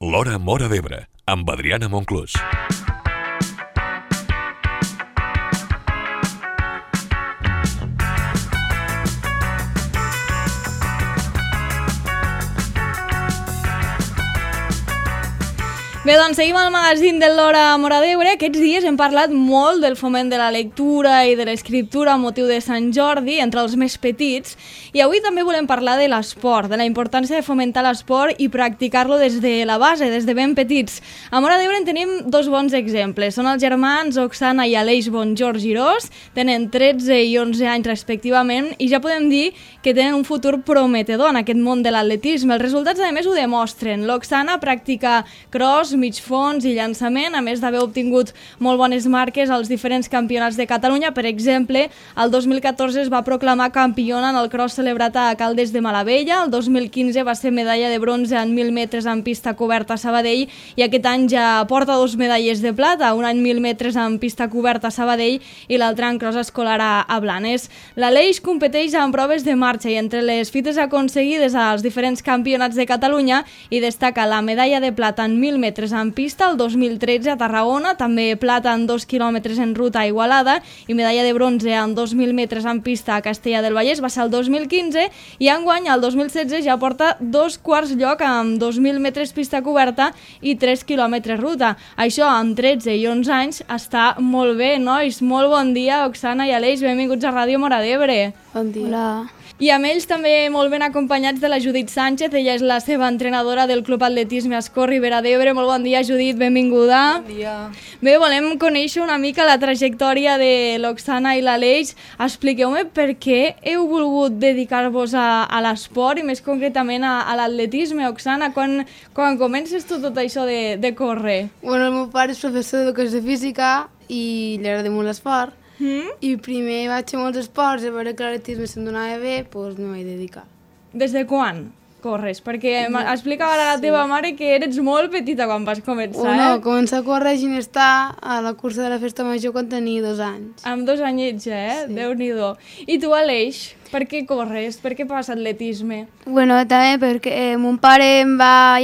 L'Hora Móra d'Ebre, amb Adriana Monclús. Bé, doncs seguim al magazín de l'Hora Móra d'Ebre. Aquests dies hem parlat molt del foment de la lectura i de l'escriptura amb motiu de Sant Jordi entre els més petits, i avui també volem parlar de l'esport, de la importància de fomentar l'esport i practicar-lo des de la base, des de ben petits. A Móra d'Ebre en tenim dos bons exemples. Són els germans Oksana i Aleix Bonjor Girós, tenen 13 i 11 anys respectivament, i ja podem dir que tenen un futur prometedor en aquest món de l'atletisme. Els resultats, a més, ho demostren. L'Oksana practica cross, mig fons i llançament, a més d'haver obtingut molt bones marques als diferents campionats de Catalunya. Per exemple, el 2014 es va proclamar campiona en el cross celebrat a Caldes de Malavella, el 2015 va ser medalla de bronze en 1.000 metres en pista coberta a Sabadell, i aquest any ja porta 2 medalles de plata, una en 1.000 metres en pista coberta a Sabadell i l'altra en cross escolar a Blanes. L'Aleix competeix en proves de marxa i entre les fites aconseguides als diferents campionats de Catalunya hi destaca la medalla de plata en 1.000 metres en pista el 2013 a Tarragona, també plata en 2 quilòmetres en ruta a Igualada i medalla de bronze en 2.000 metres en pista a Castella del Vallès, va ser el 2015, i enguany, el 2016, ja porta 2 quarts lloc amb 2.000 metres pista coberta i 3 quilòmetres ruta. Això amb 13 i 11 anys està molt bé, nois. Molt bon dia, Oksana i Aleix, benvinguts a Ràdio Móra d'Ebre. Bon dia. Hola. I amb ells també molt ben acompanyats de la Judit Sánchez, ella és la seva entrenadora del Club Atletisme Ascó Ribera d'Ebre. Molt bon dia, Judit, benvinguda. Bon dia. Bé, volem conèixer una mica la trajectòria de l'Oksana i l'Aleix. Expliqueu-me per què heu volgut dedicar-vos a l'esport i més concretament a l'atletisme. Oksana, quan comences tu tot això de córrer? Bueno, el meu pare és professor d'educació física i li agrada molt l'esport. I primer vaig fer molts esports, a veure que l'atletisme se'm donava bé, doncs m'hi vaig dedicar. Des de quan corres? Perquè explicava a la teva mare que eres molt petita quan vas començar, No, començar a córrer a Ginestar a la cursa de la Festa Major quan tenia 2 anys. Amb 2 anyets ja, Sí. Déu-n'hi-do. I tu, Aleix, per què corres? Per què fas atletisme? Bueno, també perquè mon pare em va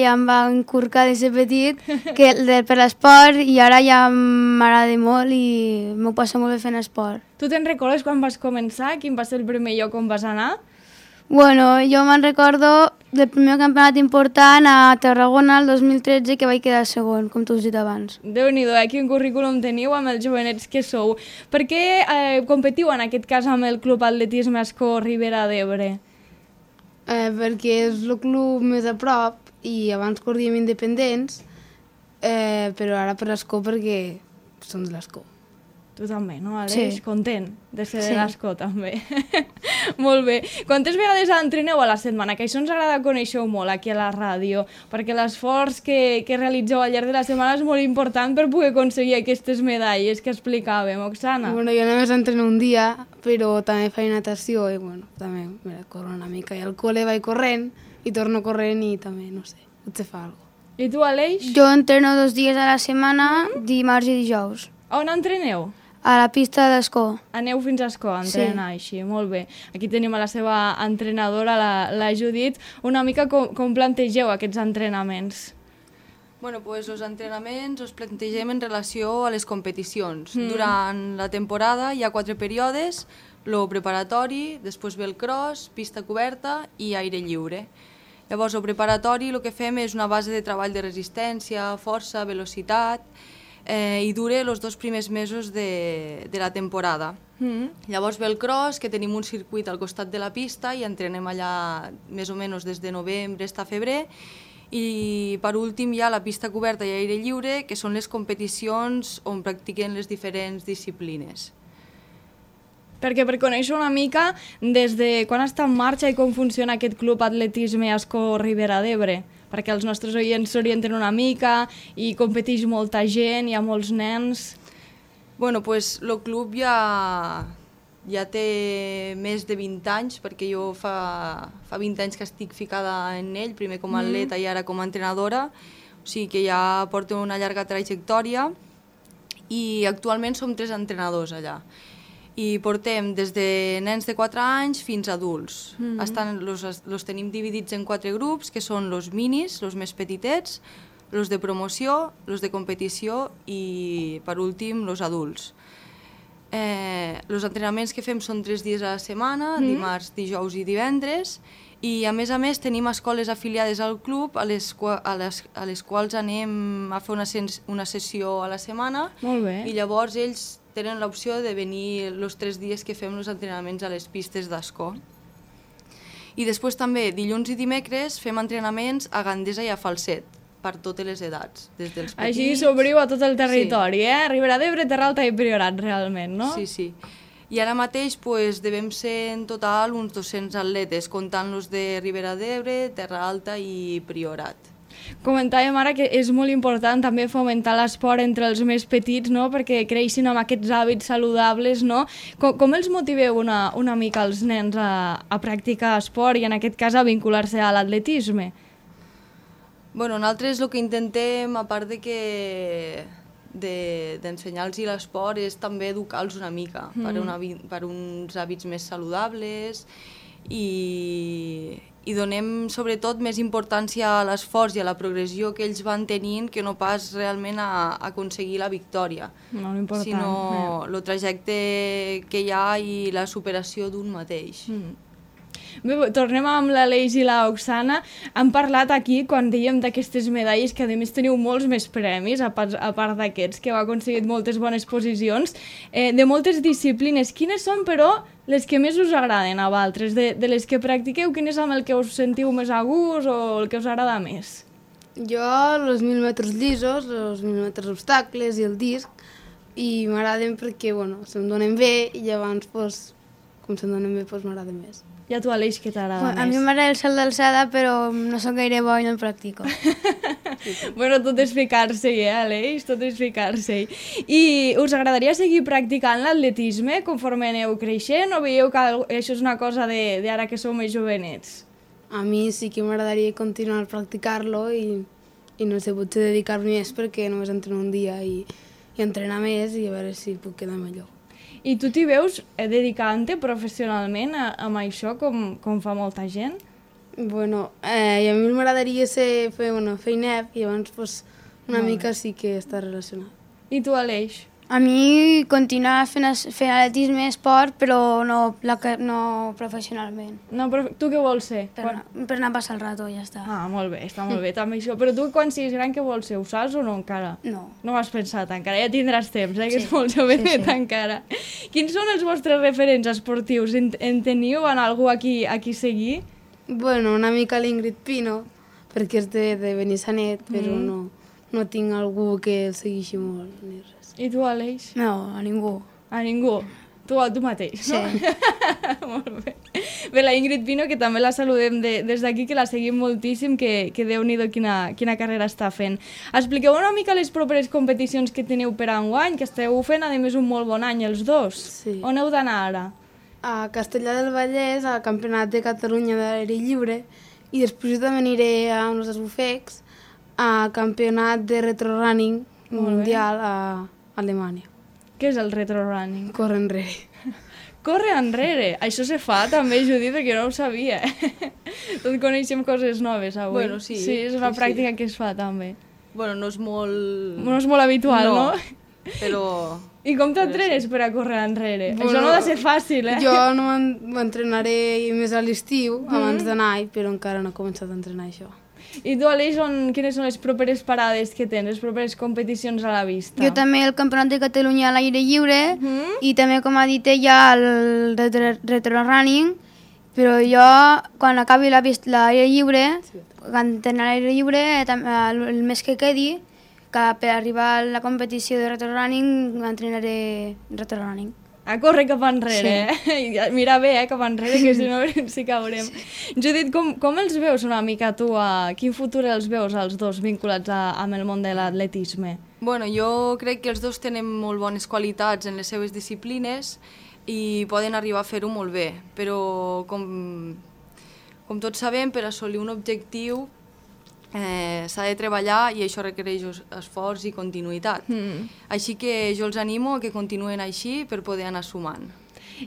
inculcar des de petit per l'esport, i ara ja m'agrada molt i m'ho passo molt bé fent esport. Tu te'n recordes quan vas començar? Quin va ser el primer lloc on vas anar? Bueno, jo me'n recordo del primer campionat important a Tarragona el 2013, que vaig quedar segon, com tu has dit abans. Déu-n'hi-do, quin currículum teniu amb els jovenets que sou. Per què competiu en aquest cas amb el Club Atletisme Ascó Ribera d'Ebre? Perquè és el club més a prop i abans corríem independents, però ara per l'Escó perquè som de l'Escó. Tu també, no, Aleix? Sí. Content de ser Sí. de l'Ascó, també. Molt bé. Quantes vegades entreneu a la setmana? Que això ens agrada conèixer molt aquí a la ràdio, perquè l'esforç que realitzeu al llarg de la setmana és molt important per poder aconseguir aquestes medalles que explicàvem, Oksana. Bueno, jo només entreno un dia, però també faig natació i bueno, també corro una mica. I al col·le vaig corrent i torno corrent i també, no sé, potser fa alguna cosa. I tu, Aleix? Jo entreno 2 dies a la setmana, dimarts i dijous, On entreneu? a la pista d'Escó. Aneu fins a Escó a entrenar, així, molt bé. Aquí tenim a la seva entrenadora, la Judit. Una mica com plantegeu aquests entrenaments? Bueno, pues els entrenaments els plantegem en relació a les competicions. Durant la temporada hi ha 4 períodes, el preparatori, després ve el cross, pista coberta i aire lliure. Llavors, el preparatori el que fem és una base de treball de resistència, força, velocitat, i dura els 2 primers mesos de la temporada. Llavors ve el cross, que tenim un circuit al costat de la pista i entrenem allà més o menys des de novembre fins a febrer, i per últim hi ha la pista coberta i aire lliure, que són les competicions on practiquen les diferents disciplines. Perquè per conèixer una mica des de quan està en marxa i com funciona aquest Club Atletisme Ascó Ribera d'Ebre, perquè els nostres oients s'orienten una mica i competeix molta gent, hi ha molts nens. Bueno, pues el club ja té més de 20 anys, perquè jo fa 20 anys que estic ficada en ell, primer com a atleta i ara com a entrenadora, o sigui que ja porto una llarga trajectòria i actualment som 3 entrenadors allà. I portem des de nens de 4 anys fins a adults. Los tenim dividits en 4 grups, que són els minis, els més petitets, los de promoció, los de competició i, per últim, los adults. Els entrenaments que fem són 3 dies a la setmana, dimarts, dijous i divendres, i a més tenim escoles afiliades al club a les quals anem a fer una sessió a la setmana. Molt bé. I llavors ells tenen l'opció de venir els 3 dies que fem els entrenaments a les pistes d'escó. I després també, dilluns i dimecres, fem entrenaments a Gandesa i a Falset, per totes les edats, des dels petits... Així s'obriu a tot el territori, Ribera d'Ebre, Terra Alta i Priorat, realment, no? Sí. I ara mateix devem ser en total uns 200 atletes, comptant-los de Ribera d'Ebre, Terra Alta i Priorat. Comentàvem ara que és molt important també fomentar l'esport entre els més petits, no? Perquè creixin amb aquests hàbits saludables, no? Com els motiveu una mica els nens a practicar esport i en aquest cas a vincular-se a l'atletisme? Bueno, nosaltres el que intentem, a part d'ensenyar-los l'esport, és també educar-los una mica per uns hàbits més saludables i donem sobretot més importància a l'esforç i a la progressió que ells van tenint que no pas realment a aconseguir la victòria, sinó el trajecte que hi ha i la superació d'un mateix. Bé, tornem amb l'Aleix i l'Oxana. Han parlat aquí, quan dèiem d'aquestes medalles, que a més teniu molts més premis, a part d'aquests, que heu aconseguit moltes bones posicions, de moltes disciplines. Quines són, però, les que més us agraden a vosaltres? De les que practiqueu, quin és amb el que us sentiu més a gust o el que us agrada més? Jo, els 1.000 metres llisos, els 1.000 metres obstacles i el disc, i m'agraden perquè, se'm donen bé i llavors, com se'm donen bé, m'agraden més. I a tu, Aleix, què t'agrada més? A mi m'agrada el salt d'alçada, però no soc gaire bo i no el practico. Bueno, tot és ficar-se-hi, Aleix? Tot és ficar-se-hi. I us agradaria seguir practicant l'atletisme conforme aneu creixent o veieu que això és una cosa d'ara que sou més jovenets? A mi sí que m'agradaria continuar a practicar-lo i no sé, potser dedicar-me més perquè només entreno un dia i entrenar més i a veure si puc quedar millor. I tu t'hi veus dedicant-te professionalment a això, com fa molta gent? Bueno, i a mi m'agradaria fer feinep i llavors una mica sí que està relacionat. I tu, Aleix? A mi continuar fent atletisme, esport, però no professionalment. No, però tu què vols ser? Per anar a passar el rato, ja està. Ah, molt bé, està molt bé també això. Però tu quan siguis gran què vols ser? Ho saps o no encara? No. No ho has pensat encara, ja tindràs temps, que és molt jovenet encara. Quins són els vostres referents esportius? En teniu en algú aquí seguir? Bueno, una mica l'Ingrid Pino, perquè és de Benissanet, però no tinc algú que el segueixi molt ni res. I tu, Aleix? No, a ningú. A ningú? Tu mateix, no? Sí. Molt bé. Bé, la Ingrid Pino, que també la saludem des d'aquí, que la seguim moltíssim, que Déu-n'hi-do quina carrera està fent. Expliqueu una mica les properes competicions que teniu per enguany, que esteu fent, a més, un molt bon any, els dos. Sí. On heu d'anar ara? A Castellar del Vallès, al Campionat de Catalunya d'aire lliure, i després també aniré a uns esbufecs, a Campionat de retrorunning mundial a Alemanya. Què és el retrorunning? Corre enrere. Corre enrere. Això se fa també, Judit, perquè no ho sabia. Tot coneixem coses noves avui. Bueno, sí. Sí, és una pràctica que es fa també. Bueno, no és molt... No és molt habitual, no? Però... I com t'entrenes per a córrer enrere? Això no ha de ser fàcil, Jo no m'entrenaré més a l'estiu, abans d'anar, però encara no he començat a entrenar això. I tu, Aleix, quines són les properes parades que tens, les properes competicions a la vista? Jo també el Campionat de Catalunya a l'aire lliure i també, com ha dit ella, el retrorunning, però jo, quan acabi l'aire lliure, quan tenen l'aire lliure, el mes que quedi, que per arribar a la competició de retrorunning, entrenaré retrorunning. A córrer cap enrere, Mira bé, cap enrere, que si no sí caurem. Judit, com els veus una mica tu? Quin futur els veus, els dos, vinculats amb el món de l'atletisme? Bueno, jo crec que els dos tenen molt bones qualitats en les seves disciplines i poden arribar a fer-ho molt bé, però com tots sabem, per assolir un objectiu s'ha de treballar i això requereix esforç i continuïtat. Així que jo els animo a que continuen així per poder anar sumant.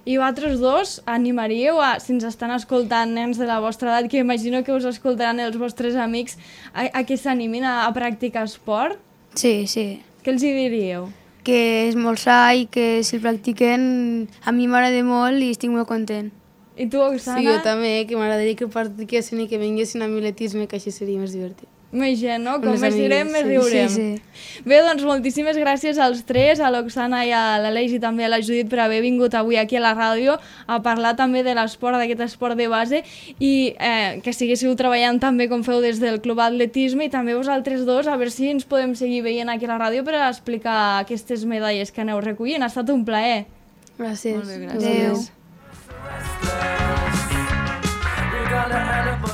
I vosaltres dos animaríeu si ens estan escoltant nens de la vostra edat, que imagino que us escoltaran els vostres amics, a que s'animin a practicar esport? Sí, sí. Què els hi diríeu? Que és molt sa i que si el practiquen a mi m'agrada molt i estic molt content. I tu, Oksana? Sí, jo també, que m'agradaria que practiquessin i que vinguessin a mi l'atletisme, que així seria més divertit. Més gent, no? Com les més direm, amigues, més sí. riurem. Sí. Bé, doncs moltíssimes gràcies als tres, a l'Oksana i a l'Aleix i també a la Judit per haver vingut avui aquí a la ràdio a parlar també de l'esport, d'aquest esport de base i que seguíssiu treballant també com feu des del Club Atletisme i també vosaltres dos, a veure si ens podem seguir veient aquí a la ràdio per a explicar aquestes medalles que aneu recollint. Ha estat un plaer. Gràcies. Molt bé, gràcies. Adéu.